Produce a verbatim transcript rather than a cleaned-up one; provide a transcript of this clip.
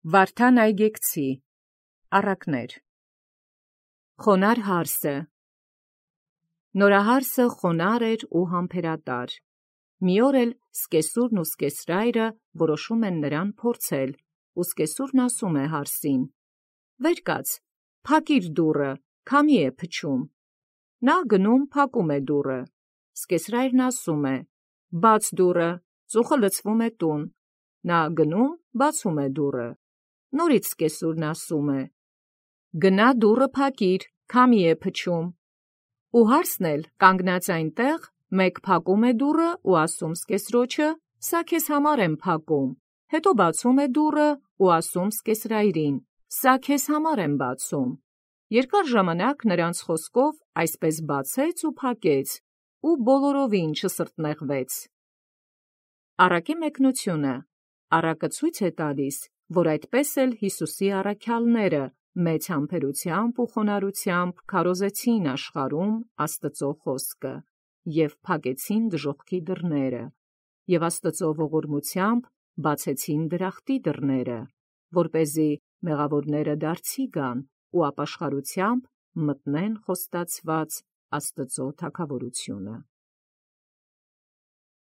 Վարդան այգեկցի առակներ։ Խոնար հարսը Նորահարսը խոնար էր ու համբերատար։ Մի օր էլ սկեսուրն ու սկեսրայրը որոշում են նրան փորձել, ու սկեսուրն ասում է հարսին. «Վեր կաց, փակիր դուռը, քամի է փչում»։ Նա գնում փակում է դուռը։ Սկեսրայրն ասում է. «Բաց դուռը, ծուխը լցվում է տուն»։ Նա գնում բացում է դուռը։ Նորից սկեսուրն ասում է. «Գնա դուռը փակիր, քամի է փչում»։ Ու հարսն էլ կանգնած այնտեղ մեկ փակում է դուռը ու ասում սկեսրոջը. «Սա քեզ համար եմ փակում»։ Հետո բացում է դուռը ու ասում սկեսրայրին. «Սա քեզ համար եմ բացում»։ Երկար ժամանակ նրանց խոսքով այսպես բացեց ու փակեց, ու բոլորովին չսրտնեղվեց։ Առակի մեկնությունը առակը ցույց է տալիս, որ այդպես էլ Հիսուսի առաքյալները մեծ համբերությամբ ու խոնարհությամբ քարոզեցին աշխարհում Աստծո խոսքը և փակեցին դժոխքի դռները, և Աստծո ողորմությամբ բացեցին դրախտի դռները, որպեսզի մեղավորները դարձի գան ու ապաշխարությամբ մտնեն խոստացված Աստծո թագավորությունը։